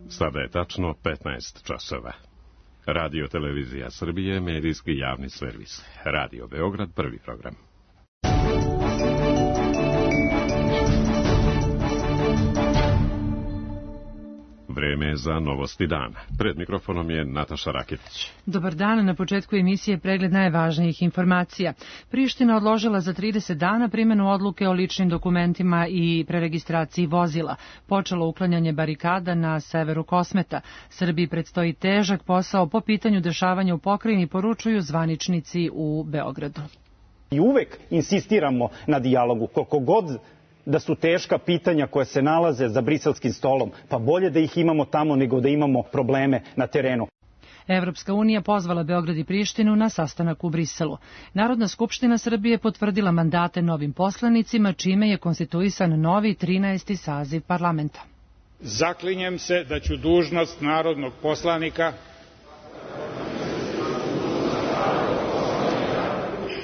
Sada je tačno 15 časova. Radio Televizija Srbije, medijski javni servis. Radio Beograd, prvi program. Vreme za novosti dana. Pred mikrofonom je Nataša Raketić. Dobar dan, na početku emisije pregled najvažnijih informacija. Priština odložila za 30 dana primjenu odluke o ličnim dokumentima i preregistraciji vozila. Počelo uklanjanje barikada na severu Kosmeta. Srbiji predstoji težak posao po pitanju dešavanja u pokrajini, poručuju zvaničnici u Beogradu. I uvek insistiramo na dijalogu, koliko god da su teška pitanja koja se nalaze za briselskim stolom, pa bolje da ih imamo tamo nego da imamo probleme na terenu. Evropska unija pozvala Beograd i Prištinu na sastanak u Briselu. Narodna skupština Srbije potvrdila mandate novim poslanicima, čime je konstituisan novi 13. saziv parlamenta. Zaklinjem se da ću dužnost narodnog poslanika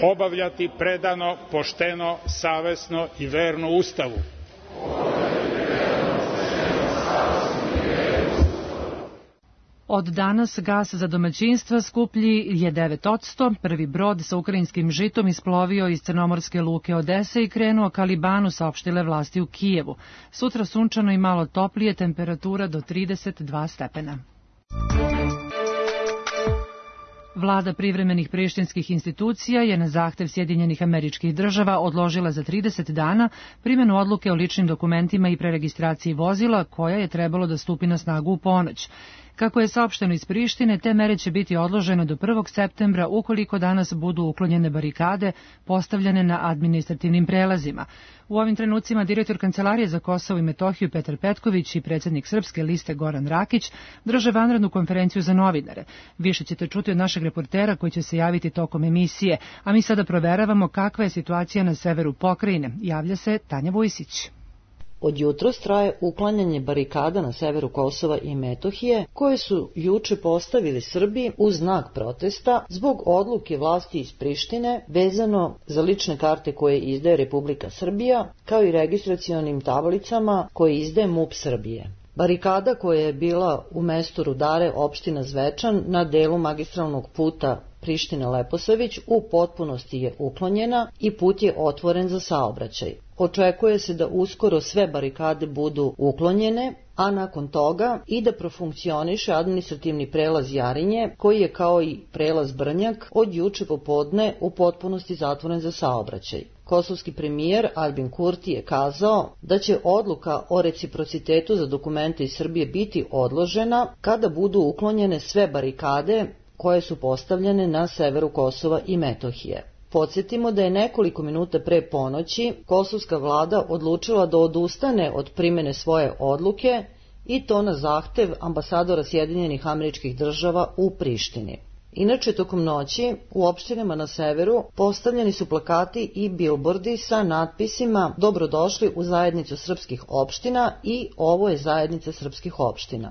obavljati predano, pošteno, savesno i verno Ustavu. Od danas gas za domaćinstva skuplji je 9%. Prvi brod sa ukrajinskim žitom isplovio iz crnomorske luke Odese i krenuo ka Libanu, saopštile vlasti u Kijevu. Sutra sunčano i malo toplije, temperatura do 32 stepena. Vlada privremenih prištinskih institucija je na zahtev Sjedinjenih Američkih Država odložila za 30 dana primjenu odluke o ličnim dokumentima i preregistraciji vozila, koja je trebalo da stupi na snagu u ponoć. Kako je saopšteno iz Prištine, te mere će biti odložene do 1. septembra ukoliko danas budu uklonjene barikade postavljene na administrativnim prelazima. U ovim trenucima direktor Kancelarije za Kosovo i Metohiju Petar Petković i predsjednik Srpske liste Goran Rakić drže vanrednu konferenciju za novinare. Više ćete čuti od našeg reportera koji će se javiti tokom emisije, a mi sada proveravamo kakva je situacija na severu pokrajine. Javlja se Tanja Vujsić. Od jutros traje uklanjanje barikada na severu Kosova i Metohije, koje su juče postavili Srbi u znak protesta zbog odluke vlasti iz Prištine vezano za lične karte koje izdaje Republika Srbija, kao i registracionim tablicama koje izdaje MUP Srbije. Barikada koja je bila u mestu Rudare, opština Zvečan, na delu magistralnog puta Priština-Leposavić u potpunosti je uklonjena i put je otvoren za saobraćaj. Očekuje se da uskoro sve barikade budu uklonjene, a nakon toga i da profunkcioniše administrativni prelaz Jarinje, koji je kao i prelaz Brnjak od juče popodne u potpunosti zatvoren za saobraćaj. Kosovski premijer Albin Kurti je kazao da će odluka o reciprocitetu za dokumente iz Srbije biti odložena kada budu uklonjene sve barikade koje su postavljene na severu Kosova i Metohije. Podsjetimo da je nekoliko minuta pre ponoći kosovska vlada odlučila da odustane od primjene svoje odluke i to na zahtev ambasadora Sjedinjenih Američkih Država u Prištini. Inače, tokom noći u opštinama na severu postavljeni su plakati i bilbordi sa natpisima "Dobrodošli u zajednicu srpskih opština" i "Ovo je zajednica srpskih opština".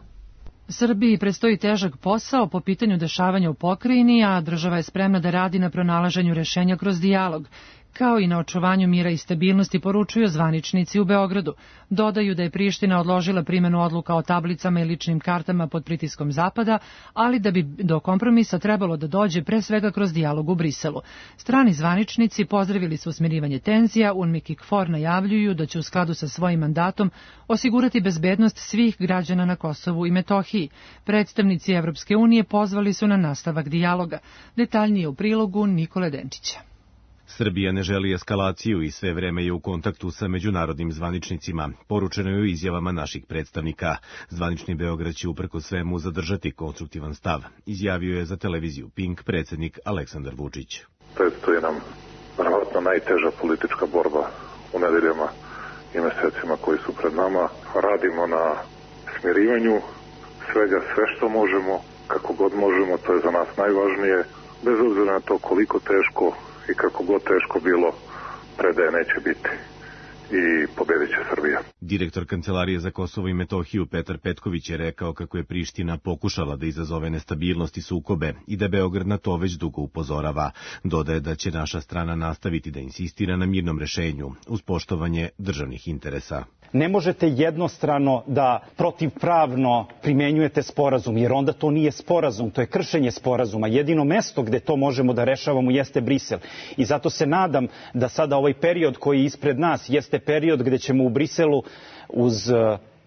Srbiji predstoji težak posao po pitanju dešavanja u pokrajini, a država je spremna da radi na pronalaženju rešenja kroz dijalog, kao i na očuvanju mira i stabilnosti, poručuju zvaničnici u Beogradu. Dodaju da je Priština odložila primjenu odluka o tablicama i ličnim kartama pod pritiskom Zapada, ali da bi do kompromisa trebalo da dođe pre svega kroz dijalog u Briselu. Strani zvaničnici pozdravili su smirivanje tenzija, UNMIK i KFOR najavljuju da će u skladu sa svojim mandatom osigurati bezbednost svih građana na Kosovu i Metohiji. Predstavnici Evropske unije pozvali su na nastavak dijaloga. Detaljnije u prilogu Nikole Denčića. Srbija ne želi eskalaciju i sve vreme je u kontaktu sa međunarodnim zvaničnicima, poručeno je u izjavama naših predstavnika. Zvanični Beograd će uprko svemu zadržati konstruktivan stav, izjavio je za televiziju Pink predsjednik Aleksandar Vučić. Predstoji nam verovatno najteža politička borba u nedeljama i mesecima koji su pred nama. Radimo na smirivanju svega, sve što možemo, kako god možemo, to je za nas najvažnije, bez obzira na to koliko teško i kako god teško bilo, predaje neće biti. i pobedit će Srbija. Direktor Kancelarije za Kosovo i Metohiju Petar Petković je rekao kako je Priština pokušala da izazove nestabilnost i sukobe i da Beograd na to već dugo upozorava. Dodaje da će naša strana nastaviti da insistira na mirnom rešenju uz poštovanje državnih interesa. Ne možete jednostrano da protivpravno primenjujete sporazum, jer onda to nije sporazum, to je kršenje sporazuma. Jedino mesto gde to možemo da rešavamo jeste Brisel. I zato se nadam da sada ovaj period koji je ispred nas jeste period gde ćemo u Briselu uz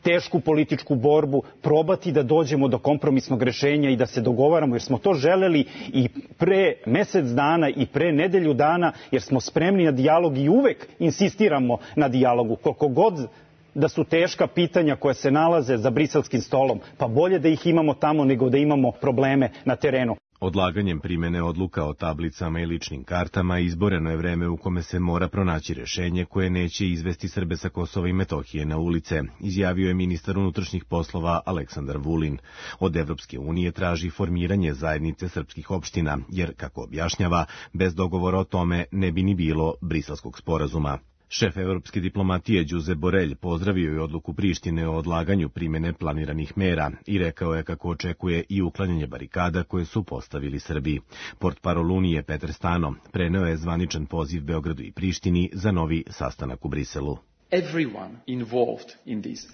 tešku političku borbu probati da dođemo do kompromisnog rešenja i da se dogovaramo, jer smo to želeli i pre mesec dana i pre nedelju dana, jer smo spremni na dijalog i uvek insistiramo na dijalogu. Koliko god da su teška pitanja koja se nalaze za briselskim stolom, pa bolje da ih imamo tamo nego da imamo probleme na terenu. Odlaganjem primene odluka o tablicama i ličnim kartama izboreno je vreme u kome se mora pronaći rešenje koje neće izvesti Srbe sa Kosova i Metohije na ulice, izjavio je ministar unutrašnjih poslova Aleksandar Vulin. Od Evropske unije traži formiranje zajednice srpskih opština, jer, kako objašnjava, bez dogovora o tome ne bi ni bilo briselskog sporazuma. Šef evropske diplomatije Đuze Borelj pozdravio je odluku Prištine o odlaganju primene planiranih mera i rekao je kako očekuje i uklanjanje barikada koje su postavili Srbi. Portparol Unije Petar Stano preneo je zvaničan poziv Beogradu i Prištini za novi sastanak u Briselu.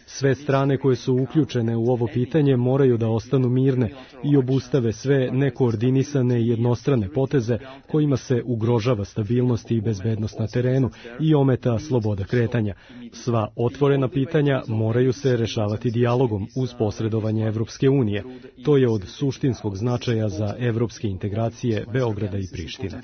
Sve strane koje su uključene u ovo pitanje moraju da ostanu mirne i obustave sve nekoordinisane i jednostrane poteze kojima se ugrožava stabilnost i bezbednost na terenu i ometa sloboda kretanja. Sva otvorena pitanja moraju se rešavati dijalogom uz posredovanje Evropske unije. To je od suštinskog značaja za evropske integracije Beograda i Prištine.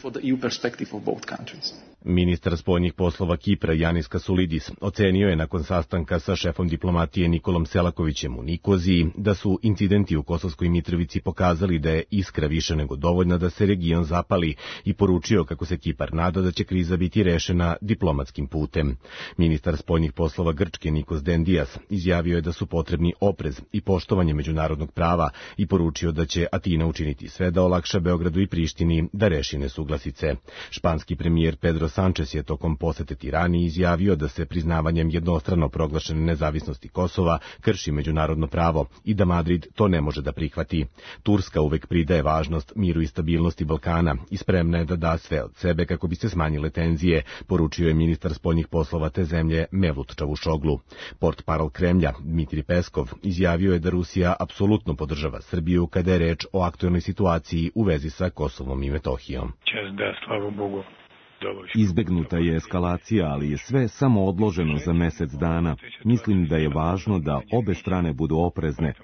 Ministar spoljnih poslova Kipra Janis Kasulidis ocenio je nakon sastanka sa šefom diplomatije Nikolom Selakovićem u Nikoziji da su incidenti u Kosovskoj Mitrovici pokazali da je iskra više nego dovoljna da se region zapali i poručio kako se Kipar nada da će kriza biti rešena diplomatskim putem. Ministar spoljnih poslova Grčke Nikos Dendias izjavio je da su potrebni oprez i poštovanje međunarodnog prava i poručio da će Atina učiniti sve da olakša Beogradu i Prištini da reši nesuglasice. Španski premijer Pedro Sanchez je tokom posete Tirani izjavio da se priznavanjem jednostrano proglašene nezavisnosti Kosova krši međunarodno pravo i da Madrid to ne može da prihvati. Turska uvek pridaje važnost miru i stabilnosti Balkana i spremna je da da sve od sebe kako bi se smanjile tenzije, poručio je ministar spoljnih poslova te zemlje Mevlut Čavušoglu. Portparol Kremlja Dmitri Peskov izjavio je da Rusija apsolutno podržava Srbiju kada je reč o aktuelnoj situaciji u vezi sa Kosovom i Metohijom. Izbegnuta je eskalacija, ali je sve samo odloženo za mesec dana. Mislim da je važno da obe strane budu oprezne.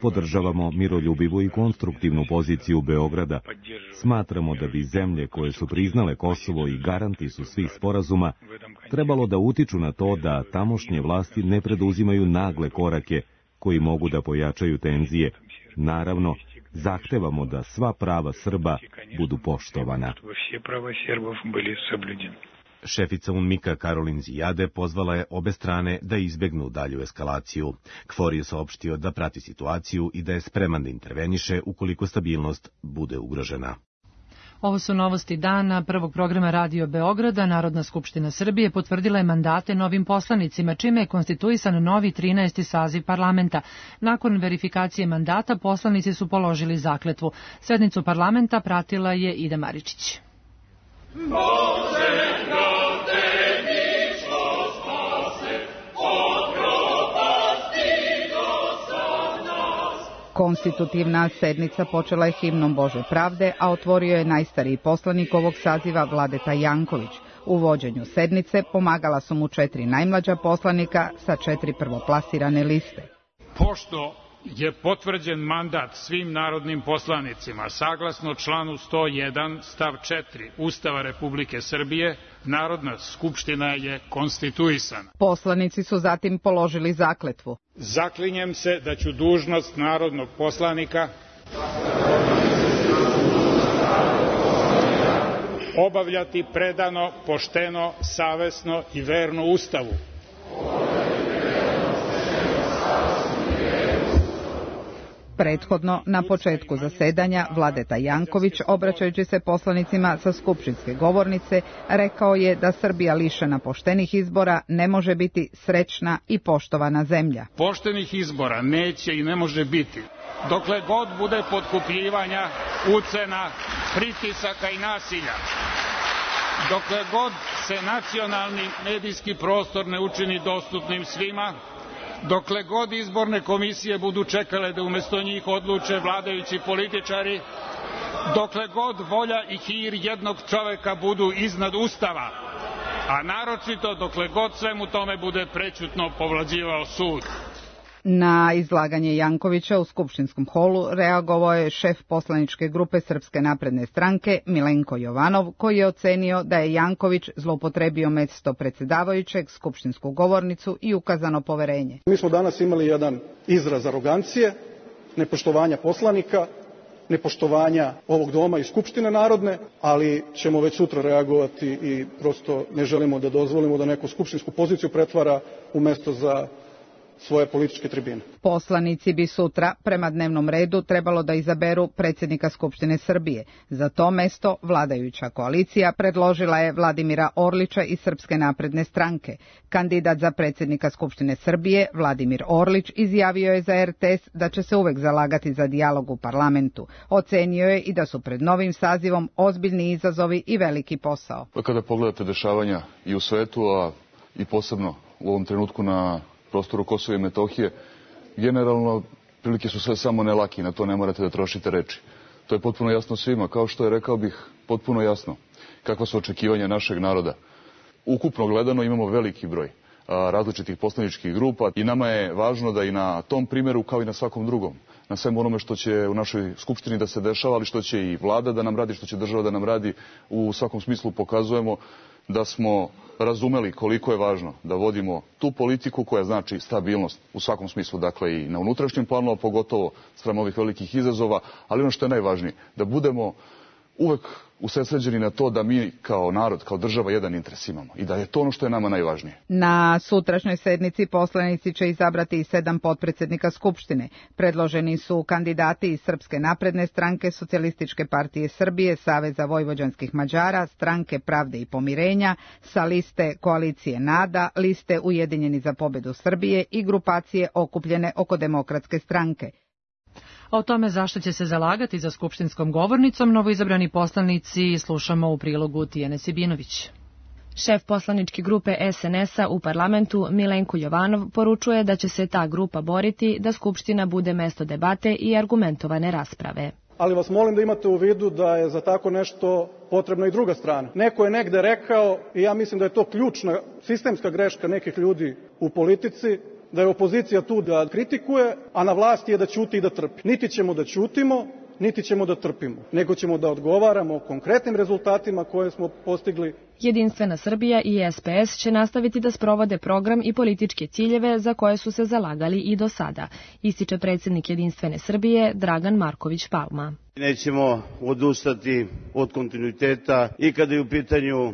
Podržavamo miroljubivu i konstruktivnu poziciju Beograda. Smatramo da bi zemlje koje su priznale Kosovo i garanti su svih sporazuma trebalo da utiču na to da tamošnje vlasti ne preduzimaju nagle korake koji mogu da pojačaju tenzije. Naravno, zahtevamo da sva prava Srba budu poštovana. Šefica UNMIK-a Karolin Zijade pozvala je obe strane da izbegnu dalju eskalaciju. KFOR je saopštio da prati situaciju i da je spreman da interveniše ukoliko stabilnost bude ugrožena. Ovo su novosti dana prvog programa Radio Beograda. Narodna skupština Srbije potvrdila je mandate novim poslanicima, čime je konstituisan novi 13. saziv parlamenta. Nakon verifikacije mandata poslanici su položili zakletvu. Sednicu parlamenta pratila je Ida Maričić. Konstitutivna sednica počela je himnom Bože pravde, a otvorio je najstariji poslanik ovog saziva Vladeta Janković. U vođenju sednice pomagala su mu 4 najmlađa poslanika sa 4 prvoplasirane liste. Pošto je potvrđen mandat svim narodnim poslanicima, saglasno članu 101 stav 4 Ustava Republike Srbije, Narodna skupština je konstituisana. Poslanici su zatim položili zakletvu. Zaklinjem se da ću dužnost narodnog poslanika obavljati predano, pošteno, savesno i verno Ustavu, Prethodno, na početku zasedanja, Vladeta Janković, obraćajući se poslanicima sa skupštinske govornice, rekao je da Srbija lišena poštenih izbora ne može biti srećna i poštovana zemlja. Poštenih izbora neće i ne može biti dokle god bude potkupljivanja, ucena, pritisaka i nasilja. Dokle god se nacionalni medijski prostor ne učini dostupnim svima, dokle god izborne komisije budu čekale da umesto njih odluče vladajući političari, dokle god volja i hir jednog čoveka budu iznad Ustava, a naročito dokle god svemu tome bude prećutno povlađivao sud. Na izlaganje Jankovića u skupštinskom holu reagovao je šef poslaničke grupe Srpske napredne stranke Milenko Jovanov, koji je ocenio da je Janković zloupotrebio mesto predsjedavajućeg, skupštinsku govornicu i ukazano poverenje. Mi smo danas imali jedan izraz arogancije, nepoštovanja poslanika, nepoštovanja ovog doma i Skupštine narodne, ali ćemo već sutra reagovati i prosto ne želimo da dozvolimo da neku skupštinsku poziciju pretvara u mesto za svoje političke tribine. Poslanici bi sutra, prema dnevnom redu, trebalo da izaberu predsjednika Skupštine Srbije. Za to mesto vladajuća koalicija predložila je Vladimira Orlića iz Srpske napredne stranke. Kandidat za predsjednika Skupštine Srbije, Vladimir Orlić, izjavio je za RTS da će se uvek zalagati za dijalog u parlamentu. Ocenio je i da su pred novim sazivom ozbiljni izazovi i veliki posao. Kada pogledate dešavanja i u svetu, a i posebno u ovom trenutku na prostoru Kosova i Metohije, generalno prilike su sve samo ne laki, na to ne morate da trošite reči. To je potpuno jasno svima, kao što je, rekao bih, potpuno jasno kakva su očekivanja našeg naroda. Ukupno gledano imamo veliki broj različitih poslaničkih grupa i nama je važno da i na tom primjeru, kao i na svakom drugom, na svemu onome što će u našoj skupštini da se dešava, ali što će i vlada da nam radi, što će država da nam radi, u svakom smislu pokazujemo da smo razumeli koliko je važno da vodimo tu politiku koja znači stabilnost u svakom smislu, dakle i na unutrašnjem planu, a pogotovo spram ovih velikih izazova, ali ono što je najvažnije, da budemo uvek usredsređeni na to da mi kao narod, kao država jedan interes imamo i da je to ono što je nama najvažnije. Na sutrašnjoj sednici poslanici će izabrati i 7 potpredsjednika Skupštine. Predloženi su kandidati iz Srpske napredne stranke, Socijalističke partije Srbije, Saveza vojvođanskih Mađara, Stranke pravde i pomirenja, sa liste Koalicije NADA, liste Ujedinjeni za pobedu Srbije i grupacije okupljene oko Demokratske stranke. O tome zašto će se zalagati za skupštinskom govornicom novoizabrani poslanici slušamo u prilogu Tijane Sibinović. Šef poslaničke grupe SNS-a u parlamentu Milenko Jovanov poručuje da će se ta grupa boriti da Skupština bude mesto debate i argumentovane rasprave. Ali vas molim da imate u vidu da je za tako nešto potrebna i druga strana. Neko je negde rekao, i ja mislim da je to ključna sistemska greška nekih ljudi u politici, da je opozicija tu da kritikuje, a na vlasti je da ćuti i da trpi. Niti ćemo da ćutimo, niti ćemo da trpimo, nego ćemo da odgovaramo o konkretnim rezultatima koje smo postigli. Jedinstvena Srbija i SPS će nastaviti da sprovode program i političke ciljeve za koje su se zalagali i do sada, ističe predsjednik Jedinstvene Srbije Dragan Marković Palma. Nećemo odustati od kontinuiteta i kada je u pitanju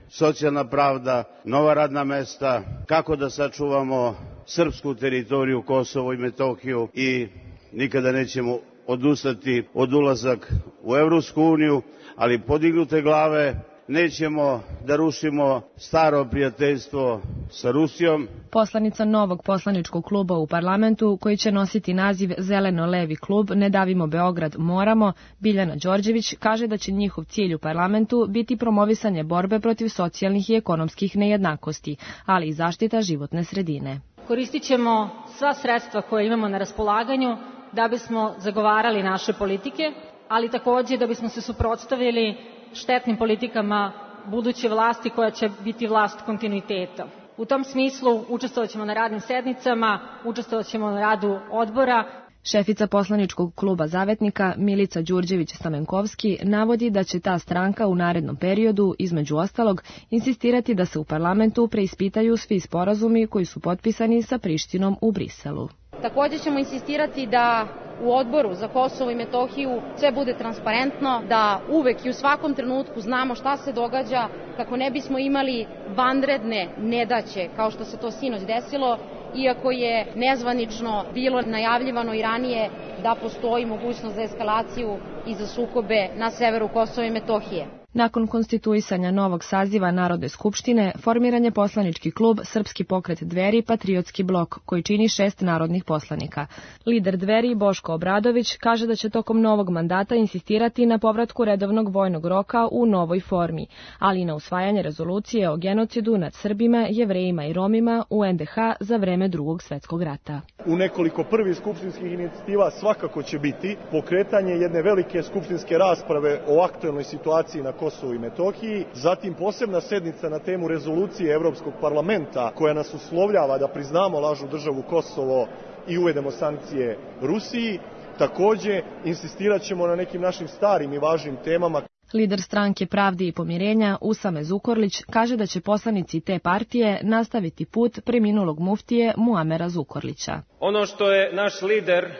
socijalna pravda, nova radna mesta, kako da sačuvamo srpsku teritoriju, Kosovo i Metohiju i nikada nećemo odustati od ulazak u Evropsku uniju, ali podignute glave, nećemo da rušimo staro prijateljstvo sa Rusijom. Poslanica novog poslaničkog kluba u parlamentu, koji će nositi naziv Zeleno-levi klub Ne davimo Beograd, moramo, Biljana Đorđević, kaže da će njihov cilj u parlamentu biti promovisanje borbe protiv socijalnih i ekonomskih nejednakosti, ali i zaštita životne sredine. Koristit ćemo sva sredstva koje imamo na raspolaganju da bismo zagovarali naše politike, ali takođe da bismo se suprotstavili štetnim politikama buduće vlasti koja će biti vlast kontinuiteta. U tom smislu učestvovat ćemo na radnim sednicama, učestvovat ćemo na radu odbora. Šefica poslaničkog kluba Zavetnika Milica Đurđević-Stamenkovski navodi da će ta stranka u narednom periodu, između ostalog, insistirati da se u parlamentu preispitaju svi sporazumi koji su potpisani sa Prištinom u Briselu. Također ćemo insistirati da u odboru za Kosovo i Metohiju sve bude transparentno, da uvek i u svakom trenutku znamo šta se događa, kako ne bismo imali vanredne nedaće kao što se to sinoć desilo iako je nezvanično bilo najavljivano i ranije da postoji mogućnost za eskalaciju i za sukobe na severu Kosova i Metohije. Nakon konstituisanja novog saziva Narodne skupštine, formiran je poslanički klub Srpski pokret Dveri Patriotski blok, koji čini 6 narodnih poslanika. Lider Dveri Boško Obradović kaže da će tokom novog mandata insistirati na povratku redovnog vojnog roka u novoj formi, ali i na usvajanje rezolucije o genocidu nad Srbima, Jevrejima i Romima u NDH za vreme Drugog svetskog rata. U nekoliko prvih skupštinskih inicijativa svakako će biti pokretanje jedne velike skupštinske rasprave o aktuelnoj situaciji na Kosovu i Metohiji, zatim posebna sednica na temu rezolucije Evropskog parlamenta koja nas uslovljava da priznamo lažnu državu Kosovo i uvedemo sankcije Rusiji. Takođe, insistirat ćemo na nekim našim starim i važnim temama. Lider stranke Pravde i pomirenja Usame Zukorlić kaže da će poslanici te partije nastaviti put preminulog muftije Muamera Zukorlića. Ono što je naš lider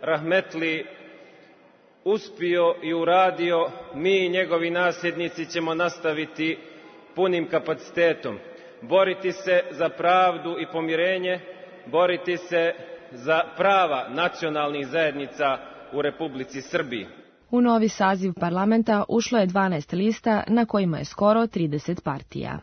rahmetli uspio i uradio, mi i njegovi nasljednici ćemo nastaviti punim kapacitetom. Boriti se za pravdu i pomirenje, boriti se za prava nacionalnih zajednica u Republici Srbiji. U novi saziv parlamenta ušlo je 12 lista na kojima je skoro 30 partija.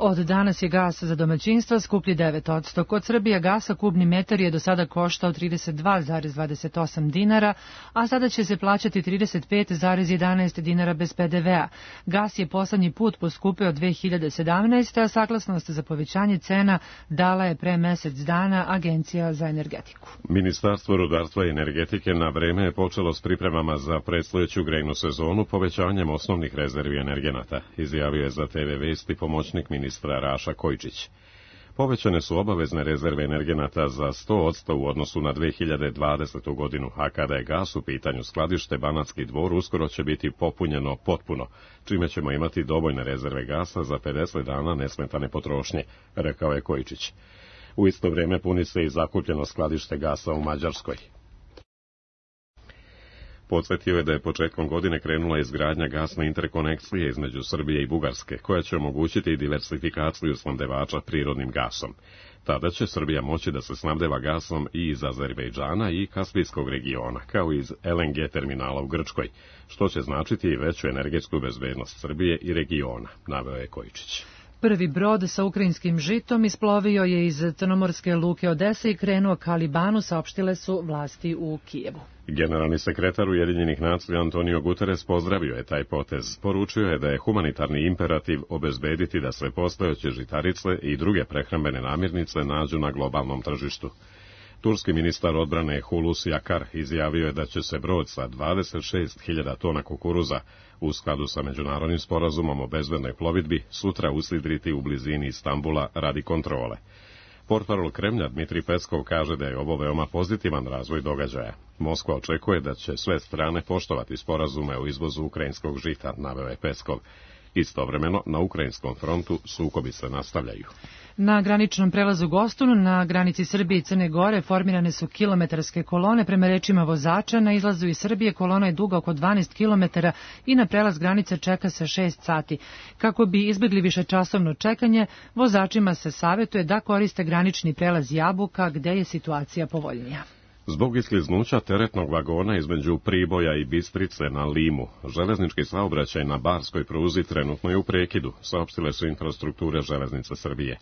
Od danas je gas za domaćinstva skuplji 9%. Kod Srbija gasa kubni metar je do sada koštao 32,28 dinara, a sada će se plaćati 35,11 dinara bez PDV-a. Gas je poslednji put poskupeo 2017. a saglasnost za povećanje cena dala je pre mesec dana Agencija za energetiku. Ministarstvo rudarstva i energetike na vreme je počelo s pripremama za predstojeću grejnu sezonu povećanjem osnovnih rezervi energenata, izjavio je za TV Vesti pomoćnik ministra Raša Kojčić. Povećane su obavezne rezerve energenata za 100% u odnosu na 2020. godinu, a kada je gas u pitanju, skladište Banatski Dvor uskoro će biti popunjeno potpuno, čime ćemo imati dovoljne rezerve gasa za 50 dana nesmetane potrošnje, rekao je Kojčić. U isto vrijeme puni se i zakupljeno skladište gasa u Mađarskoj. Podsjetio je da je početkom godine krenula izgradnja gasne interkonekcije između Srbije i Bugarske, koja će omogućiti diversifikaciju snabdevača prirodnim gasom. Tada će Srbija moći da se snabdeva gasom i iz Azerbejdžana i Kaspijskog regiona, kao i iz LNG terminala u Grčkoj, što će značiti i veću energetsku bezbednost Srbije i regiona, naveo je Kojčić. Prvi brod sa ukrajinskim žitom isplovio je iz crnomorske luke Odese i krenuo ka Libanu, saopštile su vlasti u Kijevu. Generalni sekretar Ujedinjenih nacija Antonio Guterres pozdravio je taj potez. Poručio je da je humanitarni imperativ obezbediti da sve postojeće žitarice i druge prehrambene namirnice nađu na globalnom tržištu. Turski ministar odbrane Hulusi Akar izjavio je da će se brod sa 26.000 tona kukuruza u skladu sa međunarodnim sporazumom o bezbednoj plovidbi sutra usidriti u blizini Istambula radi kontrole. Portparol Kremlja Dmitri Peskov kaže da je ovo veoma pozitivan razvoj događaja. Moskva očekuje da će sve strane poštovati sporazume o izvozu ukrajinskog žita, naveo je Peskov. Istovremeno, na ukrajinskom frontu sukobi se nastavljaju. Na graničnom prelazu Gostun, na granici Srbije i Crne Gore, formirane su kilometarske kolone. Prema rečima vozača, na izlazu iz Srbije kolona je duga oko 12 km i na prelaz granice čeka se 6 sati. Kako bi izbjegli višečasovno čekanje, vozačima se savjetuje da koriste granični prelaz Jabuka, gde je situacija povoljnija. Zbog iskliznuća teretnog vagona između Priboja i Bistrice na Limu, železnički saobraćaj na barskoj pruzi trenutno je u prekidu, saopštile su Infrastrukture železnice Srbije.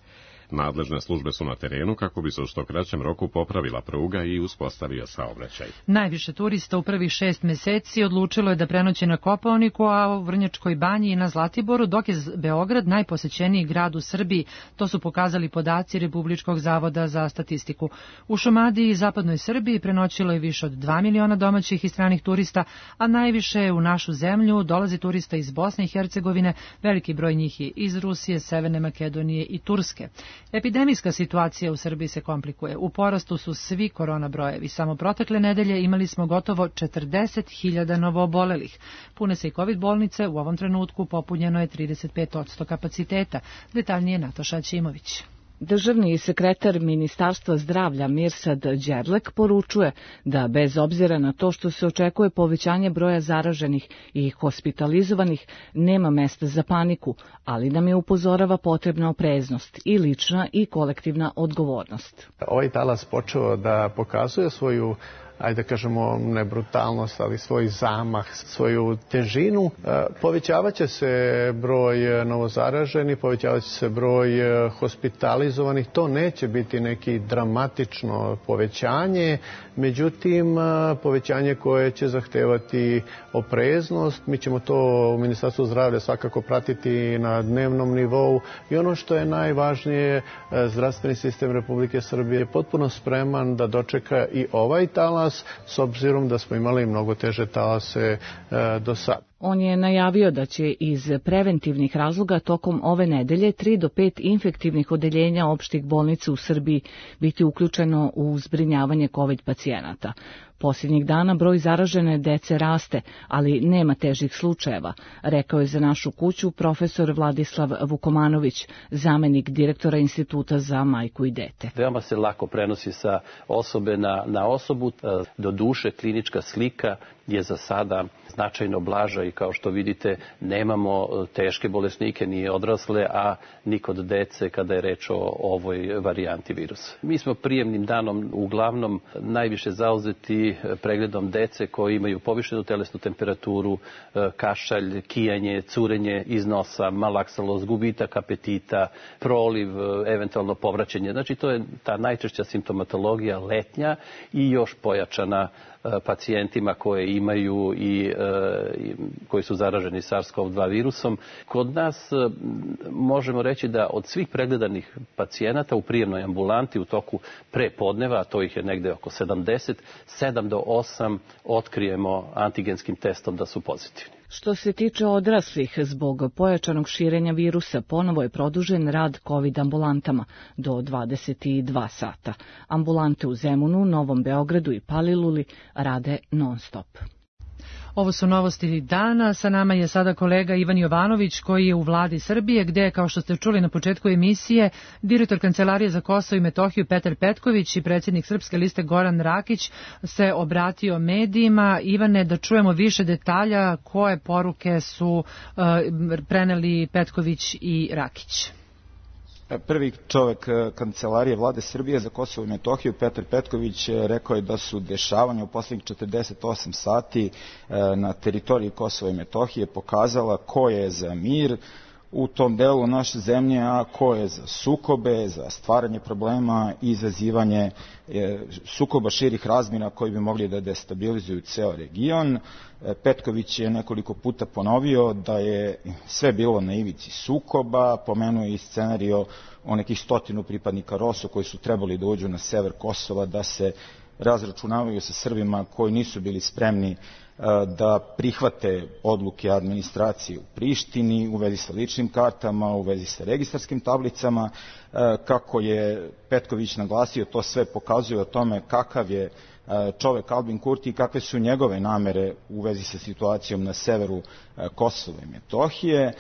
Nadležne službe su na terenu kako bi se u što kraćem roku popravila pruga i uspostavio saobraćaj. Najviše turista u prvih 6 meseci odlučilo je da prenoće na Kopaoniku, a u Vrnjačkoj banji i na Zlatiboru, dok je Beograd najposećeniji grad u Srbiji. To su pokazali podaci Republičkog zavoda za statistiku. U Šumadiji i zapadnoj Srbiji prenoćilo je više od 2 miliona domaćih i stranih turista, a najviše u našu zemlju dolazi turista iz Bosne i Hercegovine, veliki broj njih je iz Rusije, Severne Makedonije i Turske. Epidemijska situacija u Srbiji se komplikuje. U porastu su svi korona brojevi. Samo protekle nedelje imali smo gotovo 40.000 novoobolelih. Pune se i COVID bolnice, u ovom trenutku popunjeno je 35% kapaciteta. Detaljnije Nataša Ćimović. Državni sekretar Ministarstva zdravlja Mirsad Đerlek poručuje da bez obzira na to što se očekuje povećanje broja zaraženih i hospitalizovanih, nema mesta za paniku, ali nam je upozorava potrebna opreznost i lična i kolektivna odgovornost. Ovaj talas počeo da pokazuje svoju, ajde da kažemo, ne brutalnost, ali svoj zamah, svoju težinu. Povećavaće se broj novozaraženih, povećavaće se broj hospitalizovanih. To neće biti neki dramatično povećanje, međutim, povećanje koje će zahtevati opreznost. Mi ćemo to u Ministarstvu zdravlja svakako pratiti na dnevnom nivou i ono što je najvažnije, zdravstveni sistem Republike Srbije je potpuno spreman da dočeka i ovaj talas, s obzirom da smo imali mnogo teže talase do sada. On je najavio da će iz preventivnih razloga tokom ove nedelje 3 do 5 infektivnih odeljenja opštih bolnica u Srbiji biti uključeno u zbrinjavanje COVID pacijenata. Posljednjih dana broj zaražene dece raste, ali nema težih slučajeva, rekao je za Našu kuću profesor Vladislav Vukomanović, zamenik direktora Instituta za majku i dete. Veoma se lako prenosi sa osobe na osobu. Do duše klinička slika je za sada značajno blaža i kao što vidite nemamo teške bolesnike ni odrasle, a ni kod dece kada je reč o ovoj varijanti virusa. Mi smo prijemnim danom uglavnom najviše zauzeti pregledom dece koji imaju povišenu telesnu temperaturu, kašalj, kijanje, curenje iz nosa, malaksalost, gubitak apetita, proliv, eventualno povraćanje. Znači to je ta najčešća simptomatologija letnja i još pojačana pacijentima koje imaju i koji su zaraženi SARS-CoV-2 virusom. Kod nas možemo reći da od svih pregledanih pacijenata u prijemnoj ambulanti u toku prepodneva, a to ih je negde oko 70, 7 do 8 otkrijemo antigenskim testom da su pozitivni. Što se tiče odraslih, zbog pojačanog širenja virusa ponovo je produžen rad COVID ambulantama do 22 sata. Ambulante u Zemunu, Novom Beogradu i Paliluli rade non-stop. Ovo su novosti dana. Sa nama je sada kolega Ivan Jovanović koji je u vladi Srbije, gde, kao što ste čuli na početku emisije, direktor Kancelarije za Kosovo i Metohiju Petar Petković i predsjednik Srpske liste Goran Rakić se obratio medijima. Ivane, da čujemo više detalja koje poruke su preneli Petković i Rakić. Prvi čovek Kancelarije vlade Srbije za Kosovo i Metohiju, Petar Petković, rekao je da su dešavanja u poslednjih 48 sati na teritoriji Kosova i Metohije pokazala ko je za mir u tom delu naše zemlje, a ko je za sukobe, za stvaranje problema i izazivanje sukoba širih razmjera koji bi mogli da destabilizuju ceo region. Petković je nekoliko puta ponovio da je sve bilo na ivici sukoba, pomenuo i scenario o nekih 100 pripadnika ROSU koji su trebali da uđu na sever Kosova da se razračunavaju sa Srbima koji nisu bili spremni da prihvate odluke administracije u Prištini u vezi sa ličnim kartama, u vezi sa registarskim tablicama. Kako je Petković naglasio, to sve pokazuje o tome kakav je čovek Albin Kurti i kakve su njegove namere u vezi sa situacijom na severu Kosova i Metohije.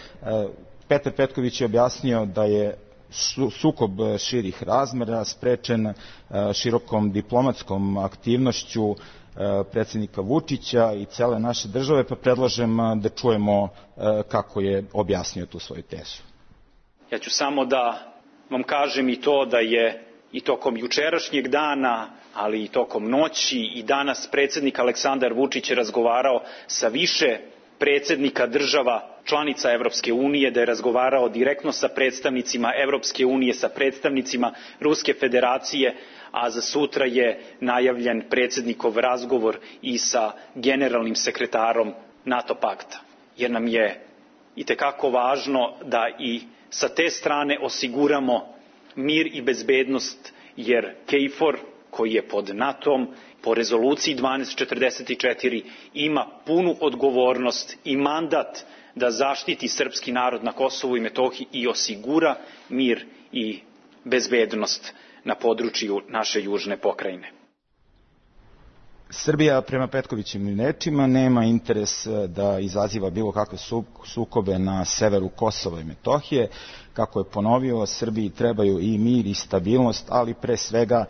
Petar Petković je objasnio da je sukob širih razmera sprečen širokom diplomatskom aktivnošću predsjednika Vučića i cele naše države, pa predlažem da čujemo kako je objasnio tu svoju tezu. Ja ću samo da vam kažem i to da je i tokom jučerašnjeg dana, ali i tokom noći i danas predsjednik Aleksandar Vučić je razgovarao sa više predsjednika država članica Evropske unije, da je razgovarao direktno sa predstavnicima Evropske unije, sa predstavnicima Ruske federacije, a za sutra je najavljen predsjednikov razgovor i sa generalnim sekretarom NATO pakta. Jer nam je itekako važno da i sa te strane osiguramo mir i bezbednost, jer KFOR, koji je pod NATO-om, po rezoluciji 1244 ima punu odgovornost i mandat da zaštiti srpski narod na Kosovu i Metohiji i osigura mir i bezbednost na području naše južne pokrajine. Srbija prema Petkovićevim rečima nema interes da izaziva bilo kakve sukobe na severu Kosova i Metohije. Kako je ponovio, Srbiji trebaju i mir i stabilnost, ali pre svega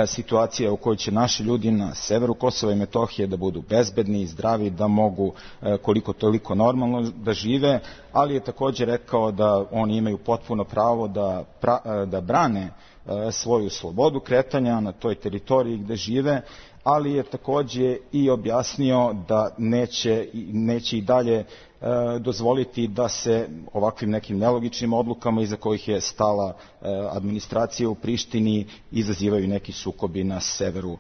situacija u kojoj će naši ljudi na severu Kosova i Metohije da budu bezbedni i zdravi, da mogu koliko toliko normalno da žive, ali je također rekao da oni imaju potpuno pravo da brane svoju slobodu kretanja na toj teritoriji gde žive, ali je također i objasnio da neće i dalje dozvoliti da se ovakvim nekim nelogičnim odlukama iza kojih je stala administracija u Prištini izazivaju neki sukobi na severu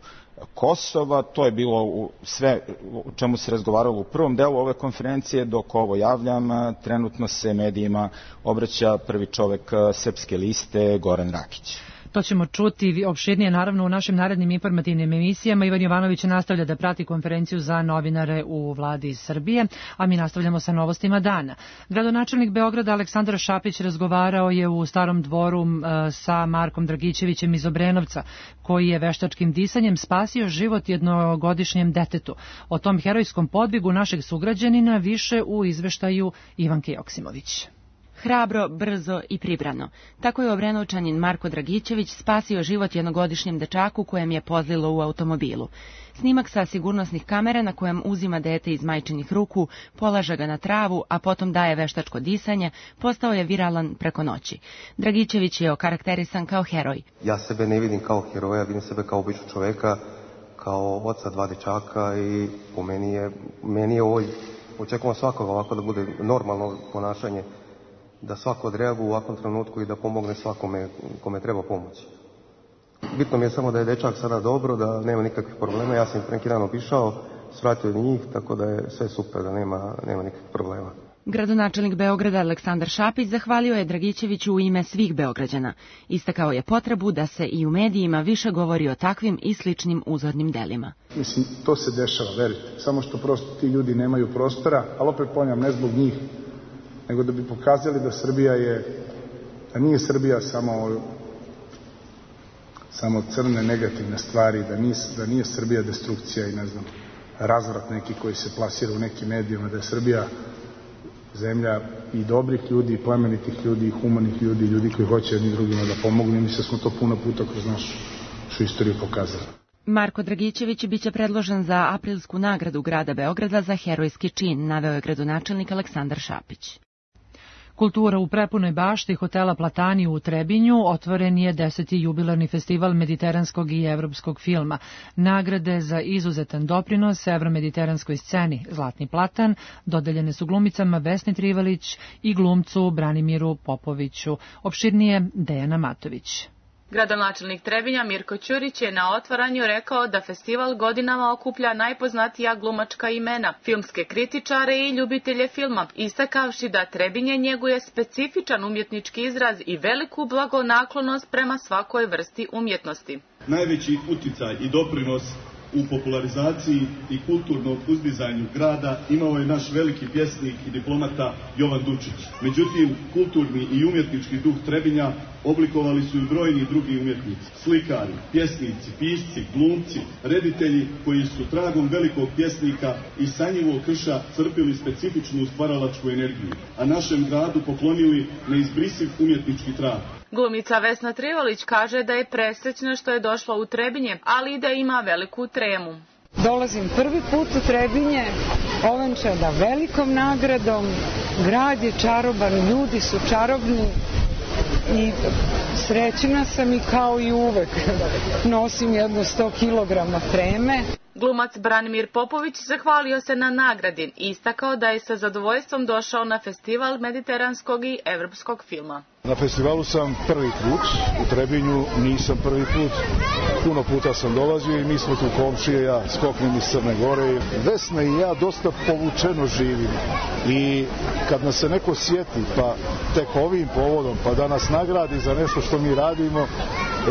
Kosova. To je bilo sve o čemu se razgovaralo u prvom delu ove konferencije. Dok ovo javljam, trenutno se medijima obraća prvi čovek Srpske liste, Goran Rakić. To ćemo čuti opširnije naravno u našim narednim informativnim emisijama. Ivan Jovanović nastavlja da prati konferenciju za novinare u vladi Srbije, a mi nastavljamo sa novostima dana. Gradonačelnik Beograda Aleksandar Šapić razgovarao je u Starom dvoru sa Markom Dragićevićem iz Obrenovca, koji je veštačkim disanjem spasio život jednogodišnjem detetu. O tom herojskom podvigu našeg sugrađanina više u izveštaju Ivanke Joksimović. Hrabro, brzo i pribrano. Tako je Obrenovčanin Marko Dragićević spasio život jednogodišnjem dečaku kojem je pozlilo u automobilu. Snimak sa sigurnosnih kamera na kojem uzima dete iz majčinih ruku, polaže ga na travu, a potom daje veštačko disanje, postao je viralan preko noći. Dragićević je okarakterisan kao heroj. Ja sebe ne vidim kao heroja, vidim sebe kao običnog čoveka, kao oca 2 dečaka i po meni je ovo, očekujem svakoga ovako da bude normalno ponašanje, da svako odreaguje u ovakvom trenutku i da pomogne svakome kome treba pomoći. Bitno mi je samo da je dečak sada dobro, da nema nikakvih problema. Ja sam neki dan obišao, svratio njih, tako da je sve super, da nema nikakvih problema. Gradonačelnik Beograda Aleksandar Šapić zahvalio je Dragićeviću u ime svih Beograđana. Istakao je potrebu da se i u medijima više govori o takvim i sličnim uzornim delima. Mislim, to se dešava, verite. Samo što prosto ti ljudi nemaju prostora, ali opet ponavljam, ne zbog njih, nego da bi pokazali da da nije Srbija samo crne negativne stvari, da nije Srbija destrukcija i razvrat neki koji se plasira u nekim medijima, da je Srbija zemlja i dobrih ljudi, i plemenitih ljudi, i humanih ljudi, ljudi koji hoće jedni drugima da pomognu, i mislim da smo to puno puta kroz našu istoriju pokazali. Marko Dragićević biće predložen za aprilsku nagradu grada Beograda za herojski čin, naveo je gradonačelnik Aleksandar Šapić. Kultura u prepunoj bašti hotela Platani u Trebinju otvoren je 10. jubilarni festival mediteranskog i evropskog filma. Nagrade za izuzetan doprinos evromediteranskoj sceni Zlatni platan dodeljene su glumicama Vesni Trivalić i glumcu Branimiru Popoviću. Opširnije Dejana Matović. Gradonačelnik Trebinja Mirko Ćurić je na otvaranju rekao da festival godinama okuplja najpoznatija glumačka imena, filmske kritičare i ljubitelje filma, istakavši da Trebinje njeguje specifičan umjetnički izraz i veliku blagonaklonost prema svakoj vrsti umjetnosti. Najveći uticaj i doprinos u popularizaciji i kulturnom uzdizanju grada imao je naš veliki pjesnik i diplomata Jovan Dučić. Međutim, kulturni i umjetnički duh Trebinja oblikovali su i brojni drugi umjetnici, slikari, pjesnici, pisci, glumci, reditelji koji su tragom velikog pjesnika i sanjivog krša crpili specifičnu stvaralačku energiju, a našem gradu poklonili neizbrisiv umjetnički trag. Glumica Vesna Trivalić kaže da je presrećna što je došla u Trebinje, ali i da ima veliku tremu. Dolazim prvi put u Trebinje, ovenčana velikom nagradom, grad je čaroban, ljudi su čarobni i srećna sam i kao i uvek. Nosim jedno 100 kilograma treme. Glumac Branimir Popović zahvalio se na nagradi i istakao da je sa zadovoljstvom došao na festival mediteranskog i evropskog filma. Na festivalu sam prvi put, u Trebinju nisam prvi put, puno puta sam dolazio i mi smo tu komšije, ja skoknem iz Crne Gore. Vesna i ja dosta povučeno živimo i kad nas se neko sjeti, pa tek ovim povodom, pa da nas nagradi za nešto što mi radimo,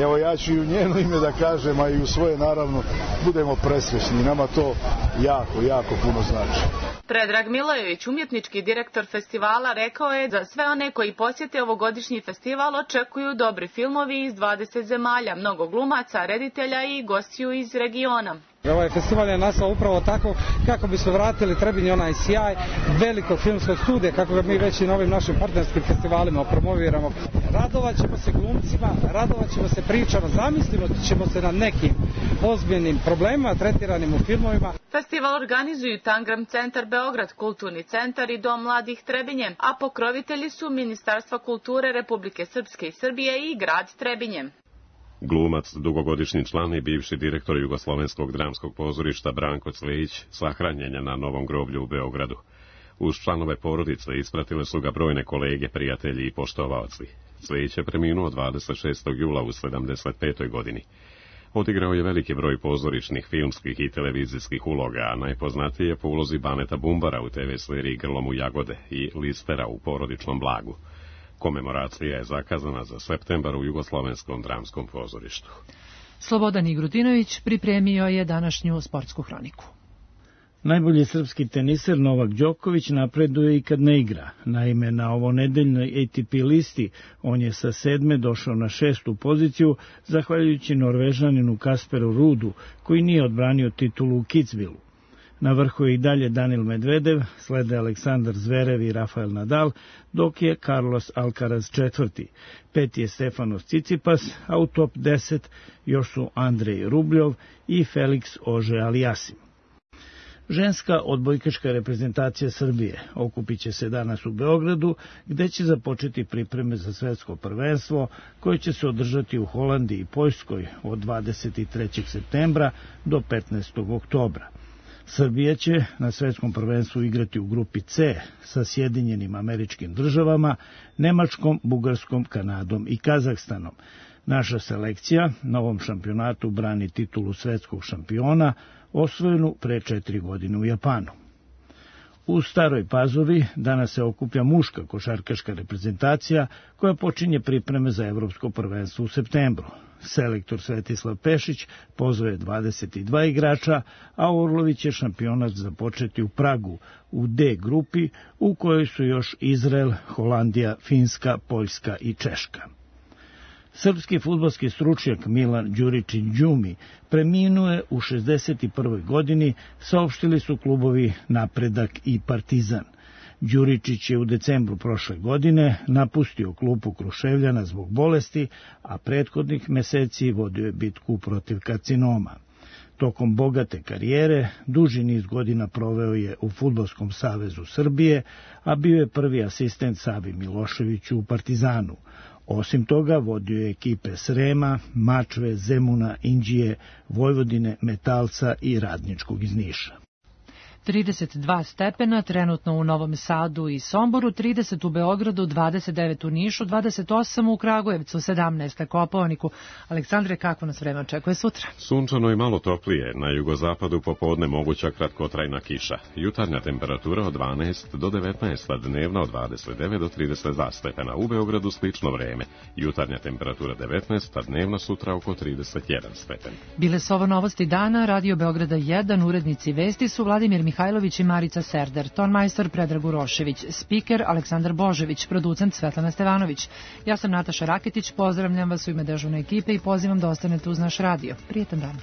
evo ja ću i u njeno ime da kažem, a i u svoje naravno, budemo presrećni. Nama to jako, jako puno znači. Predrag Milojević, umjetnički direktor festivala, rekao je da sve one koji posjete ovogodišnji festival očekuju dobri filmovi iz 20 zemalja, mnogo glumaca, reditelja i gostiju iz regiona. Ovaj festival je nastao upravo tako kako bismo vratili Trebinju onaj sjaj velikog filmskog studija, kako ga mi već i na ovim našim partnerskim festivalima promoviramo. Radovat ćemo se glumcima, radovat ćemo se pričama, zamislimo ćemo se na nekim ozbiljnim problemima tretiranim u filmovima. Festival organizuju Tangram centar Beograd, Kulturni centar i Dom mladih Trebinje, a pokrovitelji su Ministarstva kulture Republike Srpske i Srbije i grad Trebinje. Glumac, dugogodišnji član i bivši direktor Jugoslovenskog dramskog pozorišta Branko Clejić sahranjen je na Novom groblju u Beogradu. Uz članove porodice ispratile su ga brojne kolege, prijatelji i poštovaoci. Clejić je preminuo 26. jula u 75. godini. Odigrao je veliki broj pozorišnih, filmskih i televizijskih uloga, a najpoznatiji je po ulozi Baneta Bumbara u TV seriji Grlom u jagode i Listera u Porodičnom blagu. Komemoracija je zakazana za septembar u Jugoslovenskom dramskom pozorištu. Slobodan Igrutinović pripremio je današnju sportsku hroniku. Najbolji srpski teniser Novak Đoković napreduje i kad ne igra. Naime, na ovonedeljnoj ATP listi on je sa 7. došao na 6. poziciju, zahvaljujući Norvežaninu Kasperu Ruudu, koji nije odbranio titulu u Kitzbühelu. Na vrhu je i dalje Danil Medvedev, slede Aleksandar Zverev i Rafael Nadal, dok je Carlos Alcaraz četvrti. Peti je Stefanos Tsitsipas, a u top 10 još su Andrej Rubljov i Felix Auger-Aliassime. Ženska odbojkaška reprezentacija Srbije okupit će se danas u Beogradu, gde će započeti pripreme za svetsko prvenstvo, koje će se održati u Holandiji i Poljskoj od 23. septembra do 15. oktobra. Srbija će na svetskom prvenstvu igrati u grupi C sa Sjedinjenim Američkim Državama, Nemačkom, Bugarskom, Kanadom i Kazahstanom. Naša selekcija na ovom šampionatu brani titulu svetskog šampiona, osvojenu pre 4 godine u Japanu. U Staroj Pazovi danas se okuplja muška košarkaška reprezentacija koja počinje pripreme za evropsko prvenstvo u septembru. Selektor Svetislav Pešić pozvao je 22 igrača, a Orlović će šampionat započeti u Pragu u D grupi, u kojoj su još Izrael, Holandija, Finska, Poljska i Češka. Srpski fudbalski stručnjak Milan Đuričić-Đumi preminuo je u 61. godini, saopštili su klubovi Napredak i Partizan. Đuričić je u decembru prošle godine napustio klupu Kruševljana zbog bolesti, a prethodnih meseci vodio je bitku protiv karcinoma. Tokom bogate karijere, duži niz godina proveo je u Fudbalskom savezu Srbije, a bio je prvi asistent Savi Miloševiću u Partizanu. Osim toga, vodio je ekipe Srema, Mačve, Zemuna, Inđije, Vojvodine, Metalca i Radničkog iz Niša. 32 stepena, trenutno u Novom Sadu i Somboru, 30 u Beogradu, 29 u Nišu, 28 u Kragujevcu, 17 na Kopaoniku. Aleksandre, kako nas vreme očekuje sutra? Sunčano i malo toplije, na jugozapadu popodne moguća kratkotrajna kiša. Jutarnja temperatura od 12 do 19, a dnevna od 29 do 32 stepena. U Beogradu slično vreme. Jutarnja temperatura 19, a dnevna sutra oko 31 stepen. Bile su ovo novosti dana, Radio Beograda 1, urednici vesti su Vladimir Mihajlović i Marica Serder, tonmajstor Predrag Urošević, spiker Aleksandar Božević, producent Svetlana Stevanović. Ja sam Nataša Raketić, pozdravljam vas u ime dežurne ekipe i pozivam da ostanete uz naš radio. Prijetan dan.